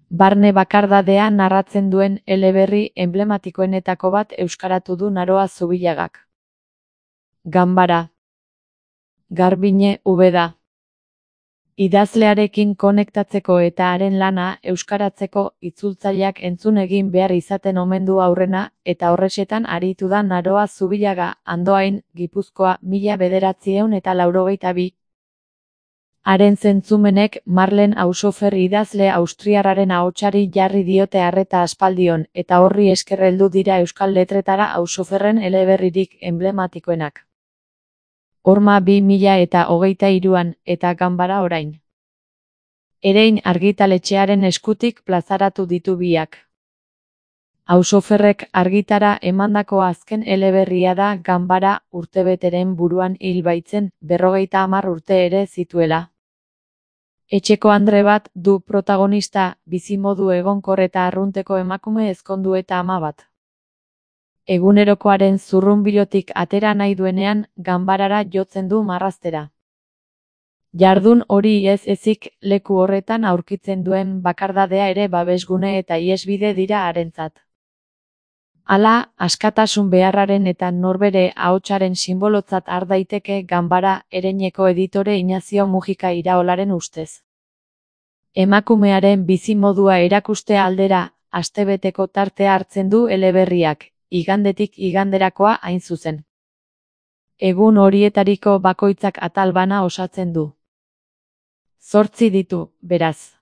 Barne bakardadea narratzen duen eleberri enblematikoenetako bat euskaratu du Naroa Zubilagak. Ganbara. Garbiñe Ubeda. Idazlearekin konektatzeko eta haren lana euskaratzeko itzultzaileak entzun egin behar izaten omen du aurrena, eta horrexetan aritu da Naroa Zubilaga, Andoain, Gipuzkoa, 1982. Haren zentzumenek Marlen Haushofer idazle austriarraren ahotsari jarri diote arreta aspaldion, eta horri esker heldu dira euskal letretara Haushoferren eleberririk enblematikoenak. Horma 2023an, eta Ganbara orain. Erein argitaletxearen eskutik plazaratu ditu biak. Haushoferrek argitara emandako azken eleberria da Ganbara, urtebeteren buruan hil baitzen, 50 urte ere zituela. Etxeko andre bat du protagonista, bizimodu egonkor eta arrunteko emakume ezkondu eta ama bat. Egunerokoaren zurrunbilotik atera nahi duenean, ganbarara jotzen du marraztera. Jardun hori ez ezik, leku horretan aurkitzen duen bakardadea ere babesgune eta iesbide dira harentzat. Hala, askatasun beharraren eta norbere ahotsaren sinbolotzat har daiteke Ganbara, Ereineko editore Inazio Mujika Iraolaren ustez. Emakumearen bizimodua erakuste aldera, astebeteko tartea hartzen du eleberriak, igandetik iganderakoa hain zuzen. Egun horietariko bakoitzak atal bana osatzen du. 8 ditu, beraz.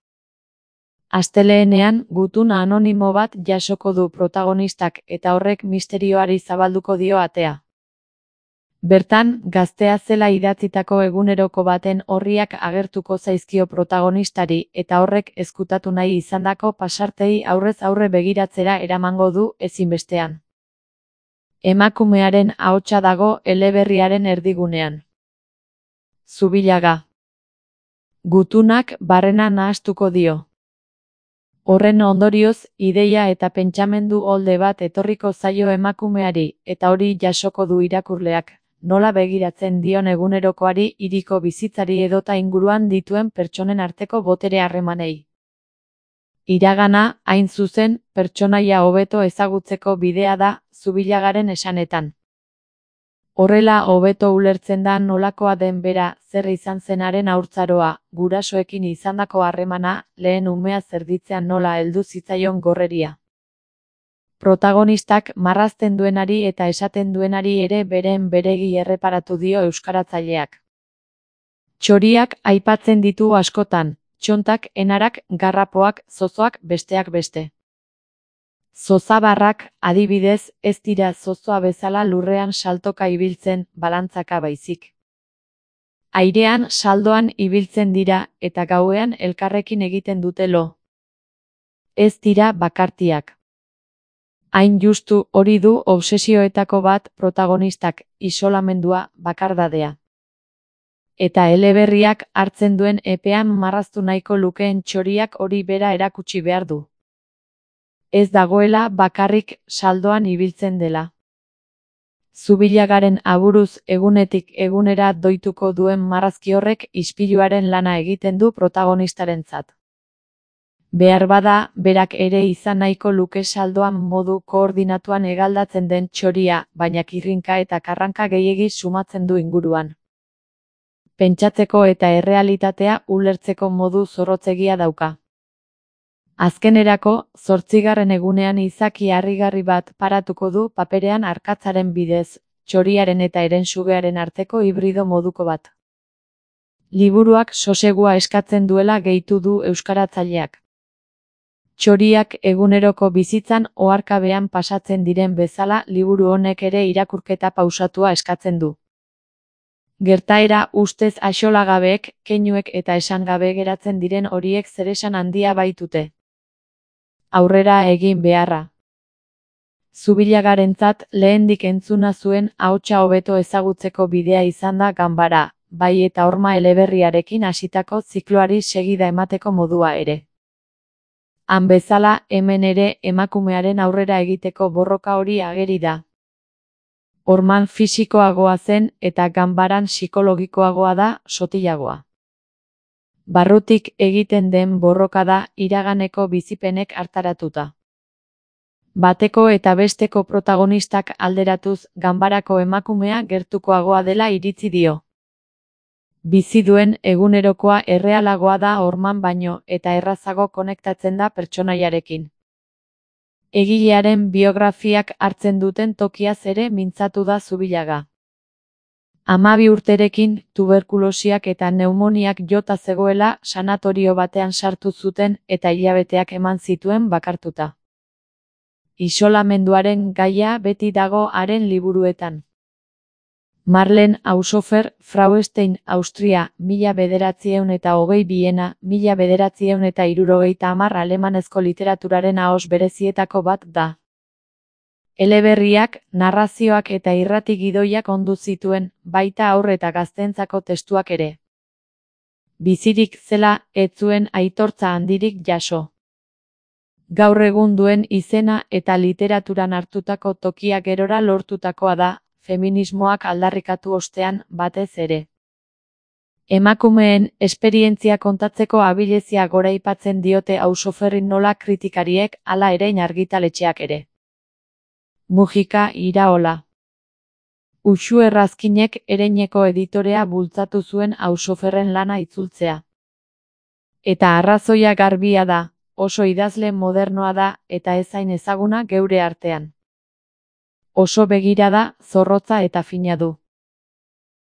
Astelehenean, gutun anonimo bat jasoko du protagonistak eta horrek misterioari zabalduko dio atea. Bertan, gaztea zela idatzitako eguneroko baten orriak agertuko zaizkio protagonistari eta horrek ezkutatu nahi izandako pasartei aurrez aurre begiratzera eramango du ezinbestean. Emakumearen ahotsa dago eleberriaren erdigunean. Zubilaga. Gutunak barrena nahastuko dio. Horren ondorioz, ideia eta pentsamendu olde bat etorriko zaio emakumeari, eta hori jasoko du irakurleak, nola begiratzen dion egunerokoari, hiriko bizitzari edota inguruan dituen pertsonen arteko botere harremanei. Iragana, hain zuzen, pertsonaia hobeto ezagutzeko bidea da, Zubilagaren esanetan. Horrela hobeto ulertzen da nolakoa den bera, zer izan zenaren haurtzaroa, gurasoekin izandako harremana, lehen umea zerditzean nola heldu zitzaion gorreria. Protagonistak marrazten duenari eta esaten duenari ere beren beregi erreparatu dio euskaratzaileak. Txoriak aipatzen ditu askotan, txontak, enarak, garrapoak, zozoak, besteak beste. Zozabarrak, adibidez, ez dira zozoa bezala lurrean saltoka ibiltzen, balantzaka baizik. Airean saldoan ibiltzen dira, eta gauean elkarrekin egiten dute lo. Ez dira bakartiak. Hain justu hori du obsesioetako bat protagonistak, isolamendua, bakardadea. Eta eleberriak hartzen duen epean marraztu nahiko lukeen txoriak hori bera erakutsi behar du. Ez dagoela bakarrik saldoan ibiltzen dela. Zubilagaren aburuz egunetik egunera doituko duen marrazki horrek ispiluaren lana egiten du protagonistarentzat. Behar bada, berak ere izan nahiko luke saldoan modu koordinatuan hegaldatzen den txoria, baina kirrinka eta karranka gehiegi sumatzen du inguruan. Pentsatzeko eta errealitatea ulertzeko modu zorrotzegia dauka. Azkenerako, 8. egunean izaki harrigarri bat paratuko du paperean arkatzaren bidez, txoriaren eta herensugearen arteko hibrido moduko bat. Liburuak sosegua eskatzen duela gehitu du euskaratzaileak. Txoriak eguneroko bizitzan oharkabean pasatzen diren bezala liburu honek ere irakurketa pausatua eskatzen du. Gertaera ustez axolagabeek, keinuek eta esangabe geratzen diren horiek zeresan handia baitute. Aurrera egin beharra. Zubilagarentzat lehendik entzuna zuen ahotsa hobeto ezagutzeko bidea izan da Ganbara, bai eta horma eleberriarekin hasitako zikloari segida emateko modua ere. Han bezala, hemen ere emakumearen aurrera egiteko borroka hori ageri da. Horman fisikoagoa zen eta Ganbaran psikologikoagoa da, sotilagoa. Barrutik egiten den borroka da iraganeko bizipenek hartaratuta. Bateko eta besteko protagonistak alderatuz ganbarako emakumea gertukoagoa dela iritzi dio. Bizi duen egunerokoa errealagoa da horman baino eta errazago konektatzen da pertsonaiarekin. Egilearen biografiak hartzen duten tokiaz ere mintzatu da Zubillaga. 12 urterekin tuberkulosiak eta pneumoniak jota zegoela sanatorio batean sartu zuten eta hilabeteak eman zituen bakartuta. Isolamenduaren gaia beti dago haren liburuetan. Marlen Haushofer, Frauenstein, Austria, 1922, Viena, 1970 alemanezko literaturaren ahoz berezietako bat da. Eleberriak, narrazioak eta irrati gidoiak ondu zituen, baita haur eta gazteentzako testuak ere. Bizirik zela, ez zuen aitortza handirik jaso. Gaur egun duen izena eta literaturan hartutako tokia gerora lortutakoa da, feminismoak aldarrikatu ostean batez ere. Emakumeen esperientzia kontatzeko abilezia goraipatzen diote Haushoferri nola kritikariek hala ere argitaletxeak ere. Mujika Iraola. Uxue Errazkinek Ereineko editorea bultzatu zuen Haushoferren lana itzultzea. Eta arrazoia garbia da, oso idazle modernoa da eta ez hain ezaguna geure artean. Oso begirada, zorrotza eta fina du.